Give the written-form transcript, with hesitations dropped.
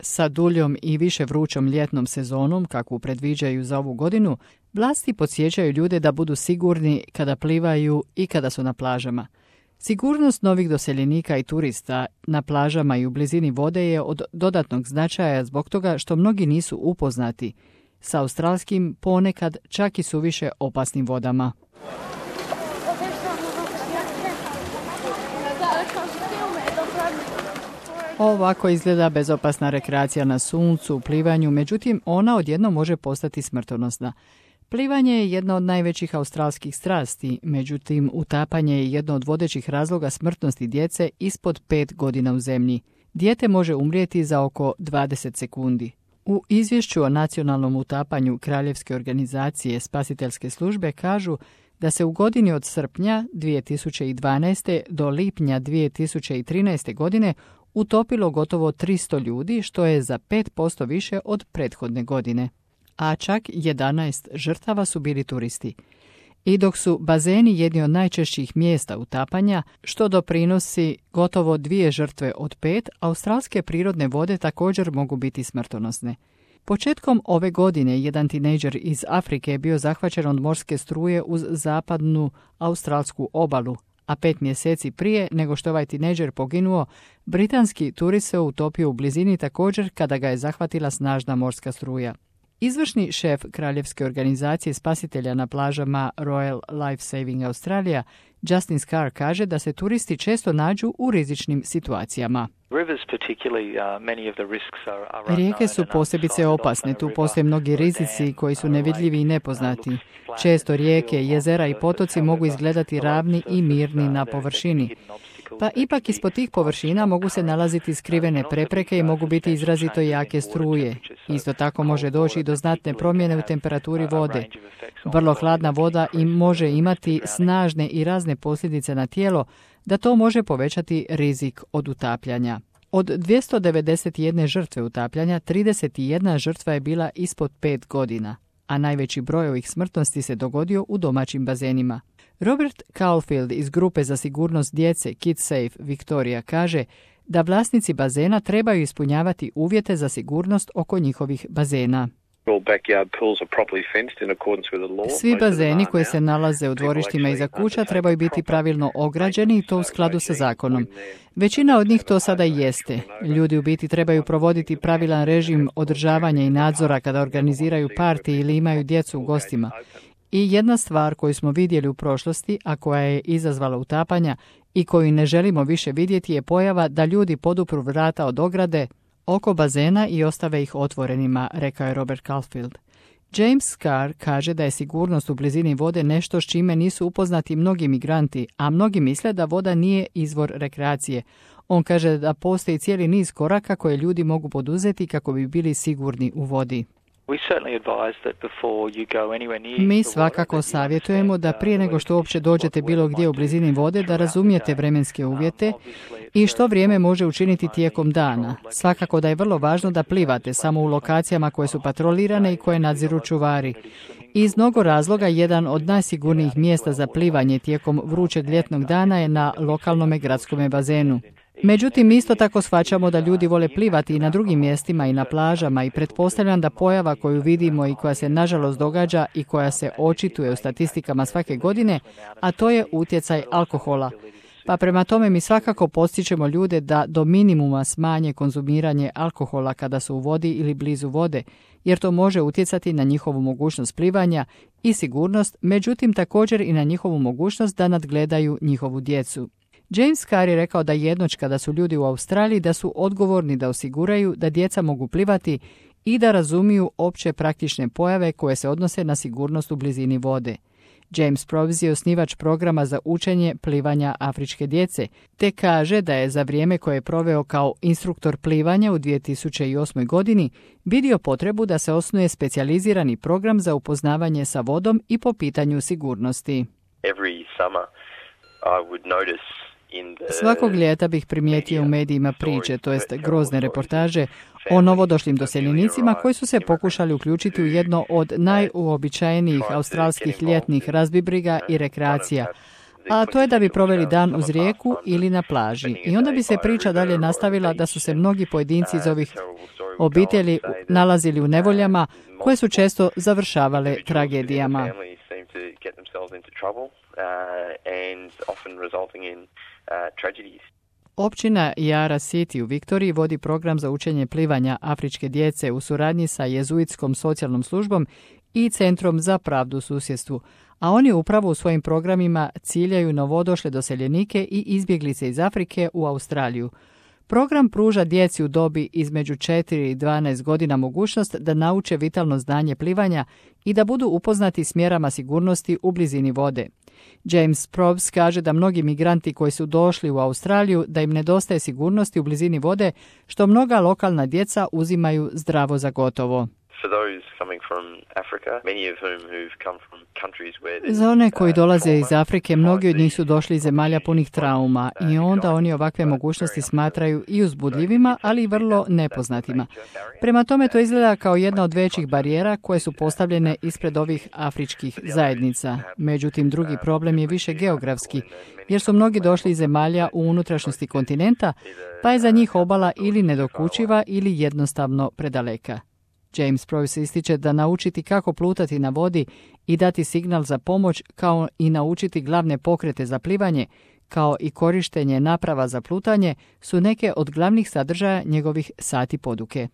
Sa duljom i više vrućom ljetnom sezonom, kakvu predviđaju za ovu godinu, vlasti podsjećaju ljude da budu sigurni kada plivaju i kada su na plažama. Sigurnost novih doseljenika i turista na plažama i u blizini vode je od dodatnog značaja zbog toga što mnogi nisu upoznati sa australskim, ponekad čak i suviše opasnim vodama. Ovako izgleda bezopasna rekreacija na suncu, plivanju, međutim ona odjednom može postati smrtonosna. Plivanje je jedna od najvećih australskih strasti, međutim utapanje je jedno od vodećih razloga smrtnosti djece ispod 5 godina u zemlji. Dijete može umrijeti za oko 20 sekundi. U izvješću o nacionalnom utapanju Kraljevske organizacije spasiteljske službe kažu da se u godini od srpnja 2012. do lipnja 2013. godine utopilo gotovo 300 ljudi, što je za 5% više od prethodne godine. A čak 11 žrtava su bili turisti. I dok su bazeni jedni od najčešćih mjesta utapanja, što doprinosi gotovo 2 žrtve od 5, australske prirodne vode također mogu biti smrtonosne. Početkom ove godine jedan tinejdžer iz Afrike je bio zahvaćen od morske struje uz zapadnu australsku obalu, a 5 mjeseci prije nego što ovaj tinejdžer poginuo, britanski turist se utopio u blizini također kada ga je zahvatila snažna morska struja. Izvršni šef Kraljevske organizacije spasitelja na plažama Royal Life Saving Australia, Justin Scarr, kaže da se turisti često nađu u rizičnim situacijama. Rijeke su posebice opasne, tu postoje mnogi rizici koji su nevidljivi i nepoznati. Često rijeke, jezera i potoci mogu izgledati ravni i mirni na površini. Pa ipak ispod tih površina mogu se nalaziti skrivene prepreke i mogu biti izrazito jake struje. Isto tako može doći do znatne promjene u temperaturi vode. Vrlo hladna voda im može imati snažne i razne posljedice na tijelo, da to može povećati rizik od utapljanja. Od 291 žrtve utapljanja, 31 žrtva je bila ispod 5 godina, a najveći broj ovih smrtnosti se dogodio u domaćim bazenima. Robert Caulfield iz grupe za sigurnost djece KidSafe Victoria kaže da vlasnici bazena trebaju ispunjavati uvjete za sigurnost oko njihovih bazena. Svi bazeni koji se nalaze u dvorištima iza kuća trebaju biti pravilno ograđeni i to u skladu sa zakonom. Većina od njih to sada i jeste. Ljudi u biti trebaju provoditi pravilan režim održavanja i nadzora kada organiziraju partije ili imaju djecu u gostima. I jedna stvar koju smo vidjeli u prošlosti, a koja je izazvala utapanja i koju ne želimo više vidjeti, je pojava da ljudi podupru vrata od ograde oko bazena i ostave ih otvorenima, rekao je Robert Caulfield. James Scarr kaže da je sigurnost u blizini vode nešto s čime nisu upoznati mnogi migranti, a mnogi misle da voda nije izvor rekreacije. On kaže da postoji cijeli niz koraka koje ljudi mogu poduzeti kako bi bili sigurni u vodi. Mi svakako savjetujemo da prije nego što uopće dođete bilo gdje u blizini vode da razumijete vremenske uvjete i što vrijeme može učiniti tijekom dana. Svakako da je vrlo važno da plivate samo u lokacijama koje su patrolirane i koje nadziru čuvari. Iz mnogo razloga jedan od najsigurnijih mjesta za plivanje tijekom vrućeg ljetnog dana je na lokalnom gradskom bazenu. Međutim, isto tako shvaćamo da ljudi vole plivati i na drugim mjestima i na plažama i pretpostavljam da pojava koju vidimo i koja se nažalost događa i koja se očituje u statistikama svake godine, a to je utjecaj alkohola. Pa prema tome mi svakako postičemo ljude da do minimuma smanje konzumiranje alkohola kada su u vodi ili blizu vode, jer to može utjecati na njihovu mogućnost plivanja i sigurnost, međutim također i na njihovu mogućnost da nadgledaju njihovu djecu. James Scarr je rekao da jednoć kada su ljudi u Australiji da su odgovorni da osiguraju da djeca mogu plivati i da razumiju opće praktične pojave koje se odnose na sigurnost u blizini vode. James Provis je osnivač programa za učenje plivanja afričke djece, te kaže da je za vrijeme koje je proveo kao instruktor plivanja u 2008. godini vidio potrebu da se osnuje specijalizirani program za upoznavanje sa vodom i po pitanju sigurnosti. Svakog ljeta bih primijetio u medijima priče, to jest grozne reportaže, o novodošlim doseljenicima koji su se pokušali uključiti u jedno od najuobičajenijih australskih ljetnih razbibriga i rekreacija, a to je da bi proveli dan uz rijeku ili na plaži. I onda bi se priča dalje nastavila da su se mnogi pojedinci iz ovih obitelji nalazili u nevoljama koje su često završavale tragedijama. Općina Yara City u Viktoriji vodi program za učenje plivanja afričke djece u suradnji sa jezuitskom socijalnom službom i Centrom za pravdu u susjedstvu, a oni upravo u svojim programima ciljaju novodošle doseljenike i izbjeglice iz Afrike u Australiju. Program pruža djeci u dobi između 4 i 12 godina mogućnost da nauče vitalno znanje plivanja i da budu upoznati s mjerama sigurnosti u blizini vode. James Probst kaže da mnogi migranti koji su došli u Australiju da im nedostaje sigurnosti u blizini vode, što mnoga lokalna djeca uzimaju zdravo za gotovo. Za one koji dolaze iz Afrike, mnogi od njih su došli iz zemalja punih trauma i onda oni ovakve mogućnosti smatraju i uzbudljivima, ali i vrlo nepoznatima. Prema tome to izgleda kao jedna od većih barijera koje su postavljene ispred ovih afričkih zajednica. Međutim, drugi problem je više geografski, jer su mnogi došli iz zemalja u unutrašnjosti kontinenta, pa je za njih obala ili nedokučiva ili jednostavno predaleka. James Probst ističe da naučiti kako plutati na vodi i dati signal za pomoć, kao i naučiti glavne pokrete za plivanje, kao i korištenje naprava za plutanje, su neke od glavnih sadržaja njegovih sati poduke.